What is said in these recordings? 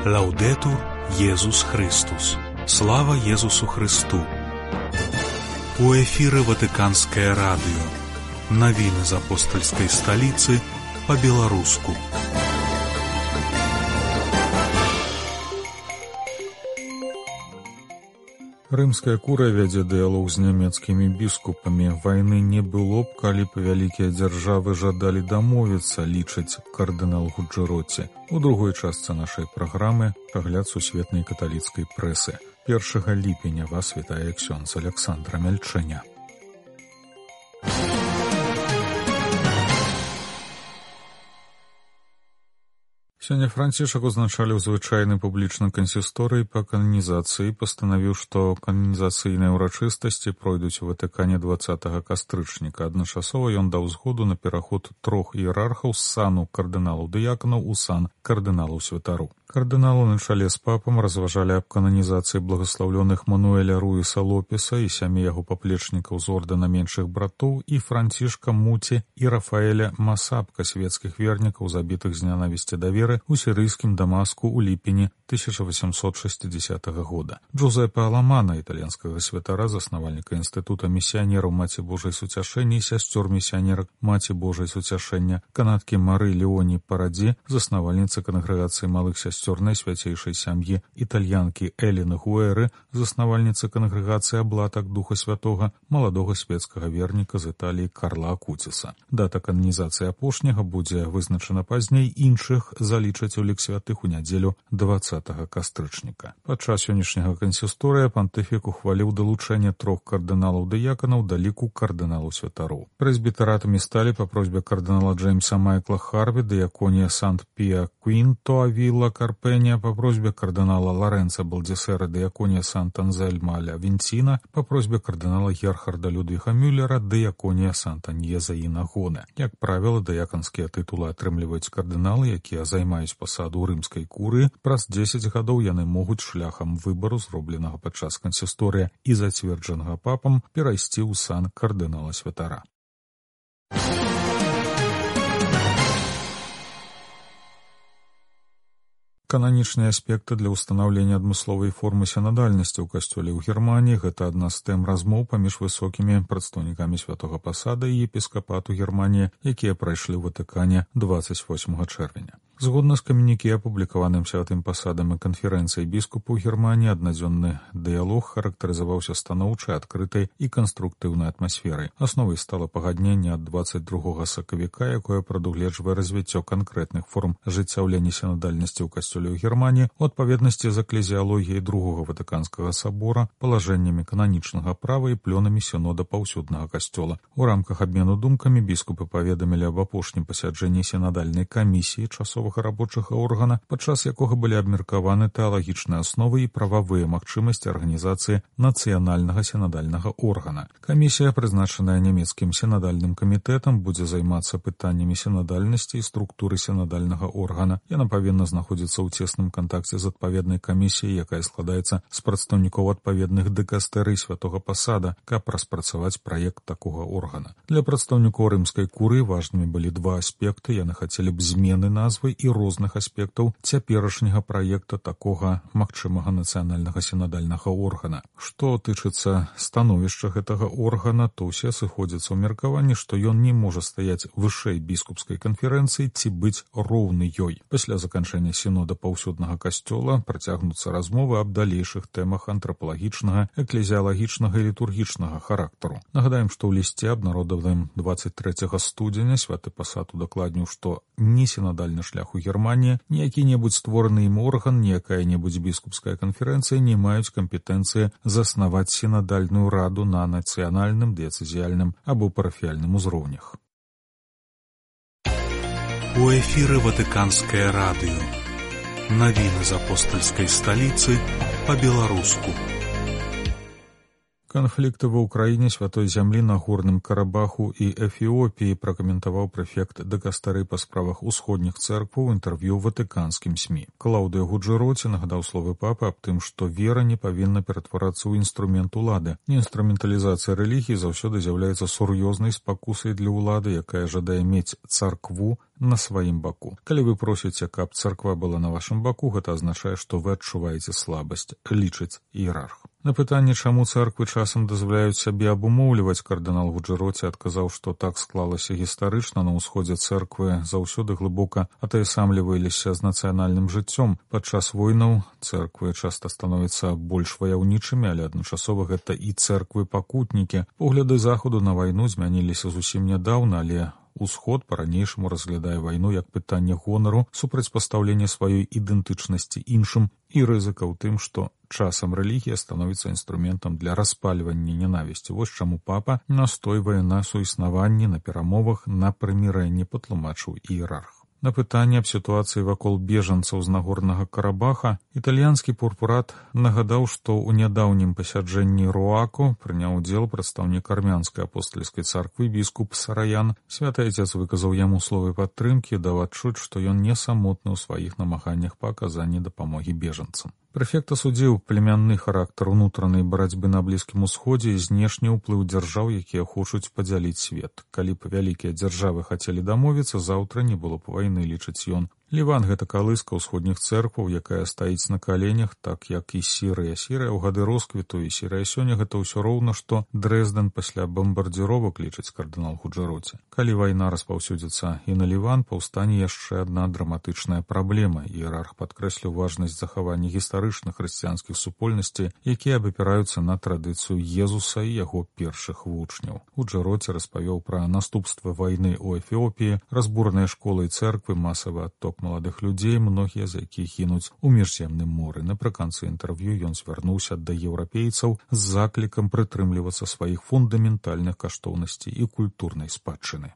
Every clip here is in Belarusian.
Лаўдэтур Езус Христус. Слава Езусу Христу. У эфіры Ватыканскае радыё. Навіны з апостальскай сталіцы па-беларуску. Рымская курыя вядзе дыялог з нямецкімі біскупамі. Вайны не было б, калі б вялікія дзяржавы жадалі дамовіцца, лічыць кардынал Гуджэроці. У другой частцы нашай праграмы прагляд сусветнай каталіцкай прэсы. 1 ліпеня вас вітае ксёндз Аляксандра Мяльчэня. Сёння Францішак узначаліў звычайны публічны кансісторый па кананізацыі, пастанавіў, што кананізацыйныя ўрачыстасці пройдуць у Ватыкане 20 кастрычніка. Адначасова ён даў згоду на пераход 3 іерархаў з сану кардыналаў-дыяканаў у сан кардыналаў-святароў. Кардыналу на чале з папам разважалі аб кананізацыі благаслаўлёных Мануэля Руіса Лопеса і сямі яго паплечнікаў з ордэна меншых братоў і Францішка Муці і Рафаэля Масапка, свецкіх вернікаў, забітых з нянавісці да веры у сірыйскім Дамаску ў ліпені 1860 года. Джузеппе Аламана, італьянскага святара, заснавальніка інстытута місіянераў Маці Божай Суцяшэння і сясцёр місіянерак Маці Божай Суцяшэння, канадкі Мары Леоні Парадзі, заснавальніцы кангрэгацыі малых сясцёр найсвяцейшай сям'і, італьянкі Эліны Гуэры, заснавальніцы кангрэгацыі Аблатак Духа Святога, маладога свецкага верніка з Італіі Карла Акуціса. Дата кананізацыі апошняга будзе вызначана пазней, іншых залічаць у лік святых у нядзелю 20 кастрычніка. Падчас сённяшняга кансісторыя пантыфік ухваліў далучэнне 3 кардыналаў-дыяканаў да ліку кардыналаў-святароў. Прэзбітаратамі сталі па просьбе кардынала Джеймса Майкла Харві дыяконія Сант-Піа Квінто Авіла Карпенія, па просьбе кардынала Лоренца Балдзесера дыяконія Сант-Анзельма ля Вінціна, па просьбе кардынала Герхарда Людвіга Мюллера дыяконія Сант-Аньеза і Нагоны. Як правіла, дыяканскія тытулы атрымліваюць кардыналы, якія займаюць пасаду ў рымскай курыі. Праз 10 гадоў яны могуць шляхам выбару, зробленага падчас кансісторыя і зацверджанага папам, перайсці ў сан кардынала-святара. Кананічныя аспекты для ўстанаўлення адмысловай формы сінадальнасці ў касцёле ў Германіі — гэта адна з тэм размоў паміж высокімі прадстаўнікамі святога пасада і епіскапату Германіі, якія прайшлі ў Ватыкане 28 чэрвеня. Згодна з камюніке, апублікаваным святым пасадам і канферэнцыяй біскупаў Германіі, аднадзённы дыялог характарызаваўся станоўчай, адкрытай і канструктыўнай атмасферай. Асновай стала пагадненне ад 22 сакавіка, якое прадугледжвае развіццё канкрэтных форм ажыццяўлення сінадальнасці ў касцёле ў Германіі у адпаведнасці з эклезіалогіяй другога Ватыканскага сабора, палажэннямі кананічнага права і плёнамі сінода паўсюднага касцёла. У рамках абмену думкамі біскупы паведамілі аб апошнім пасяджэнні сінадальнай камісіі часовага рабочага органа, падчас якога былі абмеркаваны тэалагічныя асновы і прававыя магчымасці арганізацыі нацыянальнага сінадальнага органа. Камісія, прызначаная нямецкім сінадальным камітэтам, будзе займацца пытаннямі сінадальнасці і структуры сінадальнага органа. Яна павінна знаходзіцца ў цесным кантакце з адпаведнай камісіяй, якая складаецца з прадстаўнікоў адпаведных дыкастэрый святога пасада, каб распрацаваць праект такога органа. Для прадстаўнікоў рымскай курыі важнымі былі два аспекты. Яны хацелі б змены назвы і розных аспектаў цяперашняга праекта такога магчымага нацыянальнага сінадальнага органа. Што тычыцца становішча гэтага органа, то ўсе сыходзяцца ў меркаванні, што ён не можа стаяць вышэй біскупскай канферэнцыі ці быць роўны ёй. Пасля заканчэння сінода паўсюднага касцёла працягнуцца размовы аб далейшых тэмах антрапалагічнага, эклезіалагічнага і літургічнага характару. Нагадаем, што ў лісце, абнародаваным 23 студзеня, святы пасад удакладніў, што ні сінадальны шлях у Германії, ні які-небудзь створаны ім орган, ні якая-небудзь біскупская канферэнцыя не маюць кампетэнцыі заснаваць сінадальную раду на нацыянальным, дыяцэзіяльным або парафіяльным узроўнях. У эфіры Ватыканскае радыё. Навіны з апостальскай сталіцы па-беларуску. Канфлікты ва ўкраіне, святой зямлі, Нагорным Карабаху і Эфіопіі пракаментаваў прэфект дыкастары па справах усходніх цэркваў у інтэрв'ю ватыканскім СМІ. Клаўдыя Гуджэроці нагадаў словы папы аб тым, што вера не павінна ператварацца ў інструмент улады. Інструменталізацыя рэлігіі заўсёды з'яўляецца сур'ёзнай спакусай для ўлады, якая жадае мець царкву на сваім баку. Калі вы просіце, каб царква была на вашым баку, гэта азначае, што вы адчуваеце слабасць, лічыць іерарх. На пытанне, чаму цэрквы часам дазваляюць сябе абумоўліваць, кардынал Гуджэроці адказаў, што так склалася гістарычна. На ўсходзе цэрквы заўсёды глыбока атаясамліваліся з нацыянальным жыццём. Падчас войнаў цэрквы часта становяцца больш ваяўнічымі, але адначасова гэта і цэрквы-пакутнікі. Погляды Захаду на вайну змяніліся зусім нядаўна, але Усход па-ранейшаму разглядае вайну як пытанне гонару, супрацьпастаўлення сваёй ідэнтычнасці іншым і рызыка ў тым, што часам рэлігія становіцца інструментам для распальвання ненавісці. Вось чаму папа настойвае на суіснаванні, на перамовах, на прымірэнні, патлумачыў іерарх. На пытанне аб сітуацыі вакол бежанцаў з Нагорнага Карабаха італьянскі пурпурат нагадаў, што ў нядаўнім пасяджэнні Руаку прыняў удзел прадстаўнік армянскай апостальскай царквы біскуп Сараян. Святы Айцец выказаў яму словы падтрымкі, даў адчуць, што ён не самотны ў сваіх намаганнях па аказанні дапамогі бежанцам. Прэфект асудзіў племянны характар унутранай барацьбы на Блізкім Усходзе і знешні ўплыў дзяржаў, якія хочуць падзяліць свет. Калі б вялікія дзяржавы хацелі дамовіцца, заўтра не было б вайны, лічыць ён. Ліван — гэта калыска ўсходніх цэркваў, якая стаіць на каленях, так як і Сірыя. Сірыя ў гады росквіту і Сірыя сёння — гэта ўсё роўна, што Дрэздэн пасля бамбардзіровак, лічыць кардынал Гуджэроці. Калі вайна распаўсюдзіцца і на Ліван, паўстане яшчэ адна драматычная праблема. Іерарх падкрэсліў важнасць захавання гістарычных хрысціянскіх супольнасцей, якія абапіраюцца на традыцыю Езуса і яго першых вучняў. Гуджэроці распавёў пра наступствы вайны ў Эфіопіі, разбураныя школы і цэрквы, масавы адток маладых людзей, многія з якіх гінуць у міжземным моры. Напрыканцы інтэрв'ю ён звярнуўся да еўрапейцаў з заклікам прытрымлівацца сваіх фундаментальных каштоўнасцей і культурнай спадчыны.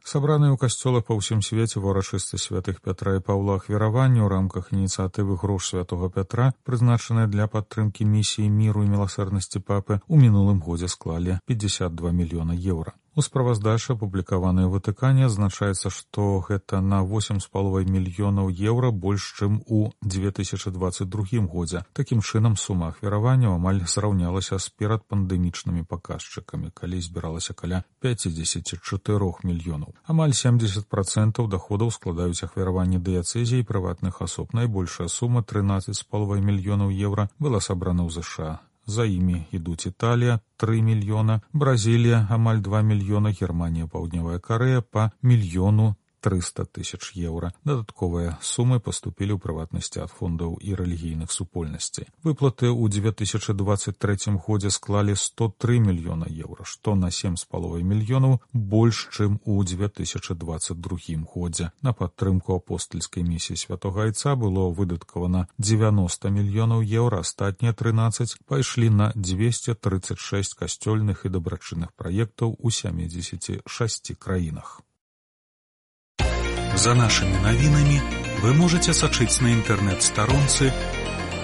Сабраныя ў касцёлах па ўсім свеце ва ўрачыстасці святых Пятра і Паўла ахвяраванні ў рамках ініцыятывы «Грош святого Пятра», прызначаныя для падтрымкі місіі міру і міласэрнасці папы, у мінулым годзе склалі 52 мільёна еўра. У справаздачы, апублікаванай у Ватыкане, адзначаецца, што гэта на 8,5 мільёнаў еўра больш, чым у 2022 годзе. Такім чынам, сума ахвяраванняў амаль зраўнялася з перадпандэмічнымі паказчыкамі, калі збіралася каля 54 мільёнаў. Амаль 70% даходаў складаюць ахвяраванні дыяцэзій і прыватных асоб. Найбольшая сума, 13,5 мільёнаў еўра, была сабрана ў ЗША. За імі ідуць Італія — 3 мільёна, Бразілія — амаль 2 мільёна, Германія, Паўднёвая Карэя — па 1 300 000 еўра. Дадатковыя сумы паступілі ў прыватнасці ад фондаў і рэлігійных супольнасцей. Выплаты ў 2023 годзе склалі 103 мільёна еўра, што на 7,5 мільёнаў больш, чым у 2022 годзе. На падтрымку апостальскай місіі святога Айца было выдаткавана 90 мільёнаў еўра, астатнія 13 пайшлі на 236 касцёльных і дабрачынных праектаў у 76 краінах. За нашими новинами вы можете сочить на интернет-сторонце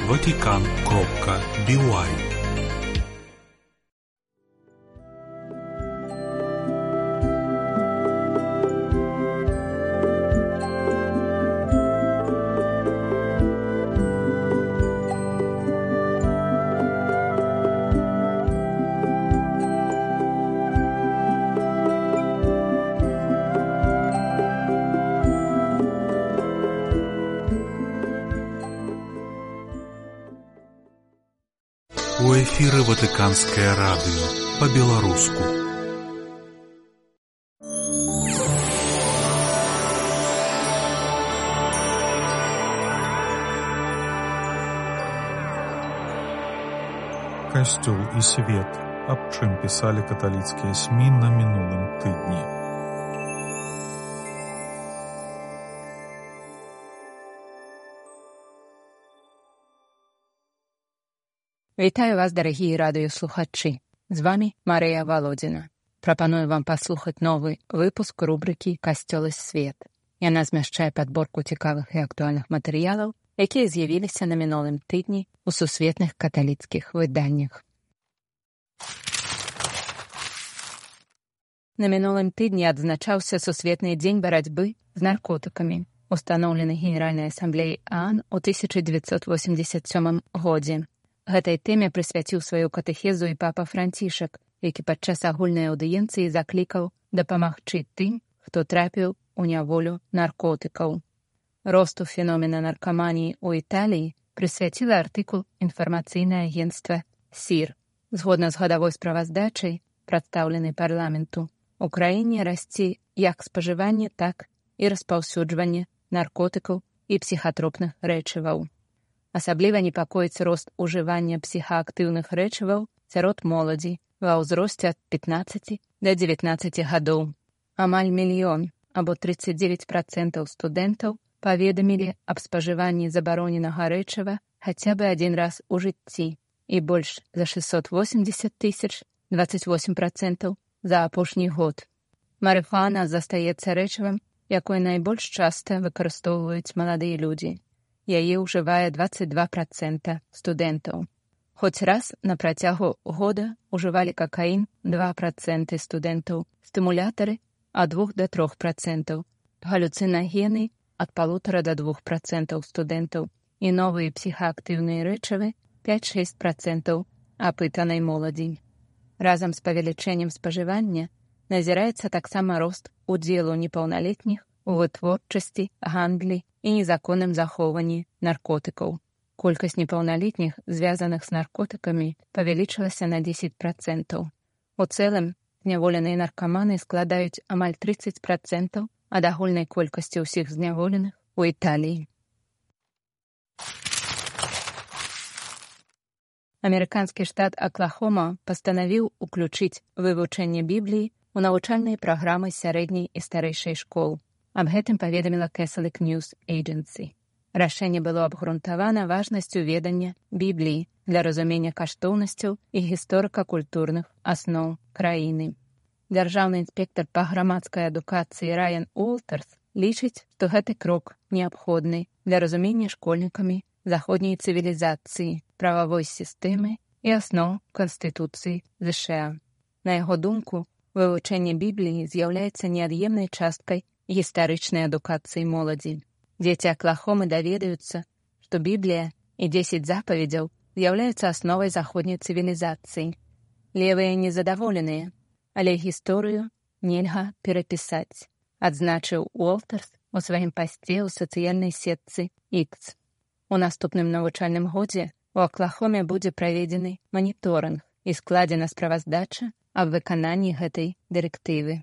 vatican.by. У эфіры Ватыканскае радыё па-беларуску. Касцёл і свет. Аб чым пісалі каталіцкія СМІ на мінулым тыдні. Вітаю вас, дарагія радыёслухачы. З вами Марыя Володзіна. Прапаную вам паслухаць новы выпуск рубрыкі «Касцёл і свет». Яна змяшчае падборку цікавых і актуальных матэрыялаў, якія з'явіліся на мінулым тыдні ў сусветных каталіцкіх выданнях. На мінулым тыдні адзначаўся Сусветны дзень барацьбы з наркотыкамі, устаноўлены Генеральнай асамблеяй ААН у 1987 годзе. Гэтай тэме прысвяціў сваю катэхезу і папа Францішак, які падчас агульнай аўдыенцыі заклікаў дапамагчы тым, хто трапіў у няволю наркотыкаў. Росту феномена наркаманіі ў Італіі прысвяціла артыкул інфармацыйнае агенцтва СІР. Згодна з гадавой справаздачай, прадстаўленай парламенту, у краіне расце як спажыванне, так і распаўсюджванне наркотыкаў і псіхатропных рэчываў. Асабліва непакоіць рост ужывання псіхаактыўных рэчываў сярод моладзі ва ўзросце ад 15 да 19 гадоў. Амаль 1 мільён, або 39% студэнтаў паведамілі аб спажыванні забароненага рэчыва хаця бы адзін раз у жыцці і больш за 680 тысяч, 28%, за апошні год. Марыхуана застаецца рэчывам, якое найбольш часта выкарыстоўваюць маладыя людзі. Яе ўжывае 22% студэнтаў. Хоць раз на працягу года ўжывалі какаін 2% студэнтаў, стымулятары ад 2 до 3%, галюцинагены ад 1,5 до 2% студэнтаў і новыя псіхаактыўныя рэчывы 5-6% апытанай моладзі. Разам з павелічэннем спажывання назіраецца таксама рост удзелу непаўналетніх у вытворчасці, гандлі і незаконным захоўванні наркотыкаў. Колькасць непаўналетніх, звязаных з наркотыкамі, павялічылася на 10%. У цэлым, зняволеныя наркаманы складаюць амаль 30% ад агульнай колькасці ўсіх зняволеных у Італіі. Амерыканскі штат Аклахома пастанавіў уключыць вывучэнне Бібліі ў навучальныя праграмы сярэдняй і старэйшай школ. Аб гэтым паведаміла Catholic News Agency. Рашэнне было абгрунтавана важнасцю ведання Бібліі для разумення каштоўнасцяў і гісторыка-культурных асноў краіны. Дзяржаўны інспектар па грамадскай адукацыі Райан Уолтарс лічыць, што гэты крок неабходны для разумення школьнікамі заходняй цывілізацыі, прававой сістэмы і асноў Канстытуцыі ЗША. На яго думку, вывучэнне Бібліі з'яўляецца неад'емнай часткай гістарычнай адукацыі моладзі. Дзеці Аклахомы даведаюцца, што Біблія і 10 запаведзяў з'яўляюцца асновай заходняй цывілізацыі. Левыя незадаволеныя, але гісторыю нельга перапісаць, адзначыў Уолтарс у сваім пасце ў сацыяльнай сетцы X. У наступным навучальным годзе у Аклахоме будзе праведзены маніторынг і складзена справаздача аб выкананні гэтай дырэктывы.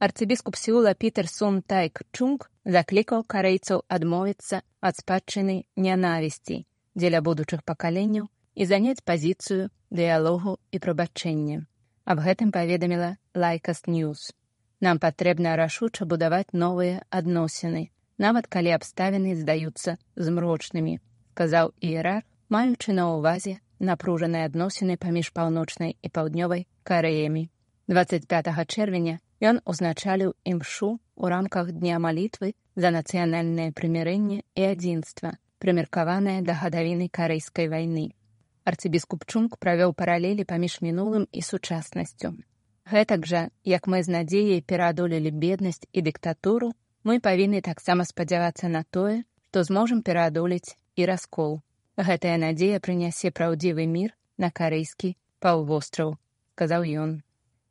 Арцыбіскуп Сеула Пітер Сун Тайк Чунг заклікаў карэйцаў адмовіцца ад спадчыны нянавісці дзеля будучых пакаленняў і заняць пазіцыю дыялогу і прабачэння. Аб гэтым паведаміла Lycast News. Нам патрэбна рашуча будаваць новыя адносіны, нават калі абставіны здаюцца змрочнымі, сказаў іерарх, маючы на ўвазе напружаныя адносіны паміж паўночнай і паўднёвай Карэямі. 25 чэрвеня ён узначаліў імшу ў рамках Дня малітвы за нацыянальнае прымірэнне і адзінства, прымеркаванае да гадавіны Карэйскай вайны. Арцыбіскуп Чунг правёў паралелі паміж мінулым і сучаснасцю. Гэтак жа, як мы з надзеяй пераадолелі беднасць і дыктатуру, мы павінны таксама спадзявацца на тое, што зможам пераадолець і раскол. Гэтая надзея прынясе праўдзівы мір на карэйскі паўвостраў, сказаў ён.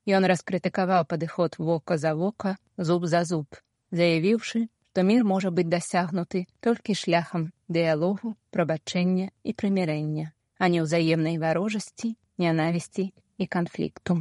Ён раскрытыкаваў падыход вока за вока, зуб за зуб, заявіўшы, што мір можа быць дасягнуты толькі шляхам дыялогу, прабачэння і прымірэння, а не ўзаемнай варожасці, нянавісці і канфлікту.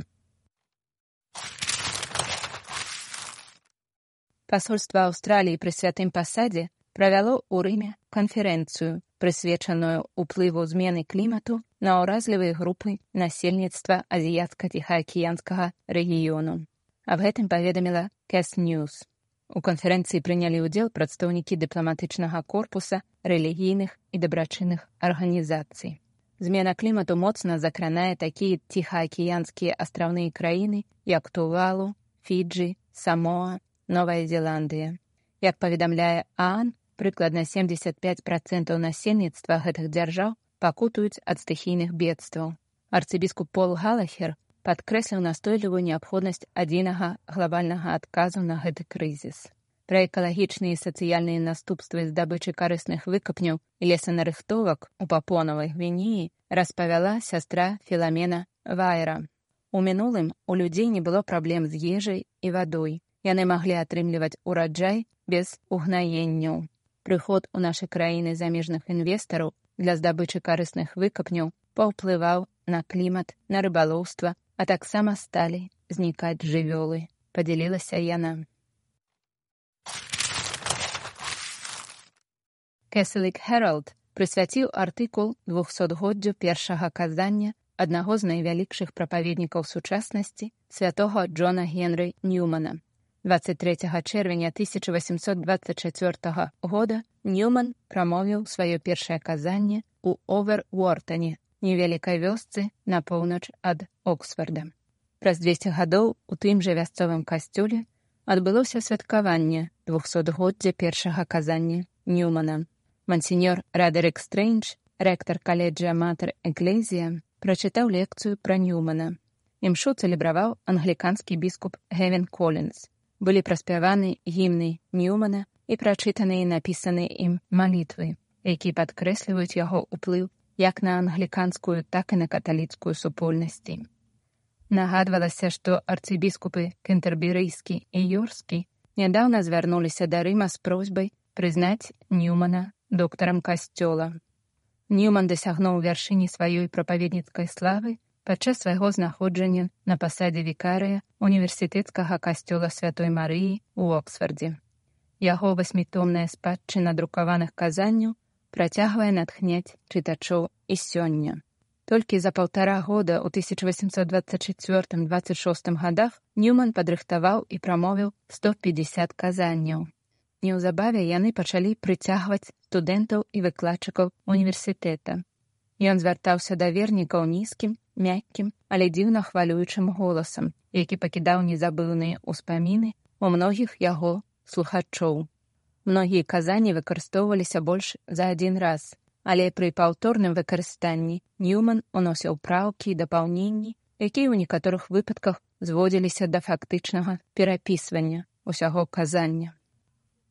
Пасольства Аўстраліі пры святым пасадзе правяло ў Рыме канферэнцыю, прысвечаную ўплыву змены клімату на ўразлівыя групы насельніцтва азіяцка-ціхаакіянскага рэгіёну. Аб гэтым паведаміла Cass News. У канферэнцыі прынялі ўдзел прадстаўнікі дыпламатычнага корпуса, рэлігійных і дабрачынных арганізацый. Змена клімату моцна закранае такія ціхаакіянскія астраўныя краіны, як Тувалу, Фіджы, Самоа, Новая Зеландыя. Як паведамляе ААН, прыкладна 75% насельніцтва гэтых дзяржаў пакутаюць ад стыхійных бедстваў. Арцыбіскуп Пол Галахер падкрэсліў настойлівую неабходнасць адзінага глабальнага адказу на гэты крызіс. Пра экалагічныя і сацыяльныя наступствы здабычы карысных выкапняў і лесанарыхтовак у Папуанавай Гвінеі распавяла сястра Філамена Вайера. У мінулым у людзей не было праблем з ежай і вадой. Яны маглі атрымліваць ураджай без угнаенняў. Прыход у нашы краіны замежных інвестараў для здабычы карысных выкапняў паўплываў на клімат, на рыбалоўства, а таксама сталі знікаць жывёлы, падзялілася яна. Кэселік Хэралд прысвяціў артыкул 200годдзю першага казання аднаго з найвялікшых прапаведнікаў сучаснасці святога Джона Генры Ньюмана. 23 чэрвеня 1824 года Ньюман прамовіў сваё першае казанне ў Овервортане, невялікай вёсцы на поўнач ад Оксфорда. Праз 200 гадоў у тым жа вясцовым касцёле адбылося святкаванне 200годдзя першага казання Ньюмана. Мансіньор Радерик Стрэндж, рэктар каледжа Матэр Эклезія, прачытаў лекцыю пра Ньюмана. Імшу цэлебраваў англіканскі біскуп Гевін Колінс. Былі праспяваны гімны Ньюмана і прачытаныя і напісаныя ім малітвы, якія падкрэсліваюць яго ўплыў як на англіканскую, так і на каталіцкую супольнасці. Нагадвалася, што арцыбіскупы Кентэрберыйскі і Йорскі нядаўна звярнуліся да Рыма з просьбай прызнаць Ньюмана доктарам касцёла. Ньюман дасягнуў вяршыні сваёй прапаведніцкай славы падчас свайго знаходжання на пасадзе вікарыя універсітэцкага касцёла Святой Марыі ў Оксфордзе. Яго 8-томная спадчына друкаваных казанняў працягвае натхняць чытачоў і сёння. Толькі за 1,5 года ў 1824-26 годах Ньюман падрыхтаваў і прамовіў 150 казанняў. Неўзабаве яны пачалі прыцягваць студэнтаў і выкладчыкаў універсітэта. Ён звяртаўся да вернікаў нізкім, мяккім, але дзіўна хвалюючым голасам, які пакідаў незабыўныя ўспаміны у многіх яго слухачоў. Многія казанні выкарыстоўваліся больш за адзін раз, але пры паўторным выкарыстанні Ньюман уносіў праўкі і дапаўненні, якія ў некаторых выпадках зводзіліся да фактычнага перапісвання ўсяго казання.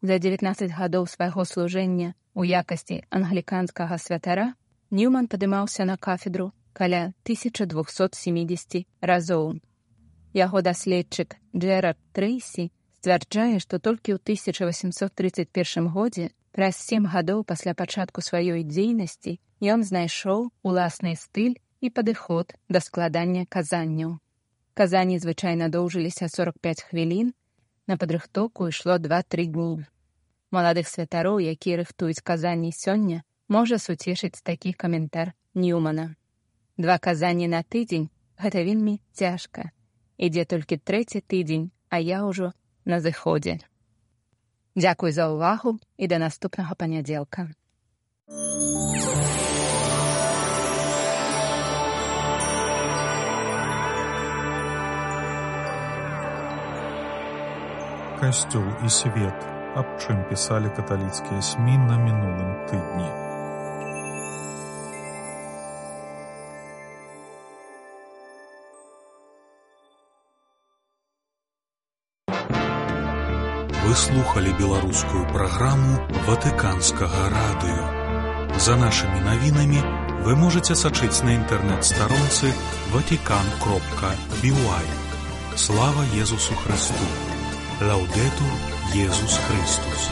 За 19 гадоў свайго служэння ў якасці англіканскага святара Ньюман падымаўся на кафедру каля 1270 разоў. Яго даследчык Джэрард Трэйсі сцвярджае, што толькі ў 1831 годзе, праз 7 гадоў пасля пачатку сваёй дзейнасці, ён знайшоў уласны стыль і падыход да складання казанняў. Казанні звычайна доўжыліся 45 хвілін, на падрыхтоўку ішло 2-3 дні. Маладых святароў, якія рыхтуюць казанні сёння, можа суцешыць такі каментар Ньюмана. 2 казанні на тыдзень – гэта вельмі цяжка. Ідзе толькі 3-й тыдзень, а я ўжо на зыходзе. Дзякуй за ўвагу і да наступнага панядзелка. Касцёл і свет. Аб чым пісалі каталіцкія СМІ на мінулым тыдні. Вы слухали беларускую праграму Ватыканскага радыё. За нашымі навінамі вы можаце сачыць на інтэрнэт-старонцы vatican.by. Слава Езусу Христу! Лаўдэтур Езус Христус!